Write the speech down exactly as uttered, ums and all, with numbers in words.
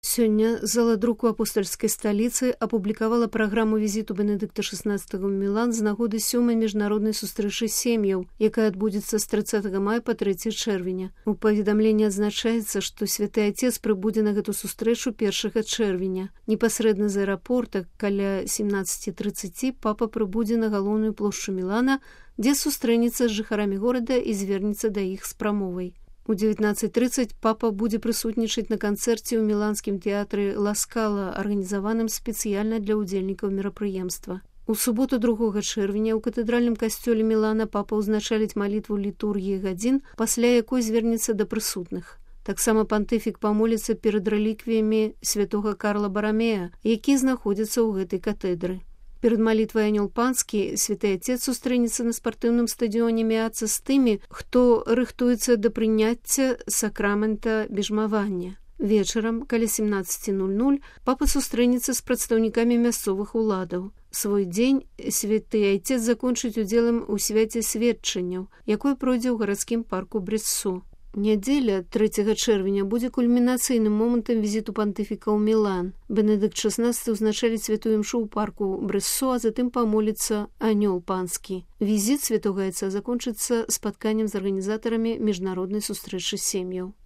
Сёння зала друку апостальскай сталіцы апублікавала праграму візіту Бенедыкта шаснаццатага ў Мілан з нагоды сёмай міжнароднай сустрэчы сем'яў, якая адбудзецца з трыццатага мая па трэцяе чэрвеня. У паведамленні адзначаецца, што святы Отец прыбудзе на гэту сустрэчу першага чэрвеня. Непасрэдна з аэрапорта каля семнаццаці трыццаці папа прыбудзе на галоўную плошчу Мілана, дзе сустрэнецца з жыхарамі горада і звернецца да іх з прамовай. У дзевятнаццаць трыццаць папа будзе прысутнічаць на канцэрце ў міланскім тэатры Ла Скала, арганізаваным спецыяльна для ўдзельнікаў мерапрыемства. У суботу другога чэрвеня ў катэдральным касцёле Мілана папа ўзначаліць малітву літургіі гадзін, пасля якой звернецца да прысутных. Таксама пантыфік памоліцца перад рэліквіямі святога Карла Барамея, які знаходзяцца ў гэтай катедры. Перад малітвай анёл панскі святы Отец сустрэнецца на спартыўным стадыёне Меаца з тымі, хто рыхтуецца да прыняцця сакрамента бежмавання. Вечарам, каля семнаццаці нуль-нуль, папа сустрэнецца з прадстаўнікамі мясцовых уладаў. Свой дзень святы Отец закончыць удзелам у свяце сведчанняў, якое пройдзе ў гарадскім парку Брессо. Нядзеля трэцяга чэрвеня будзе кульмінацыйным момантам візіту пантыфіка ў Мілан. Бенедыкт шаснаццаты ўзначаліць святую імшу ў парку Брессо, а затым памоліцца анёл панскі. Візіт святога Отца закончыцца спатканнем з арганізатарамі міжнароднай сустрэчы сем'яў.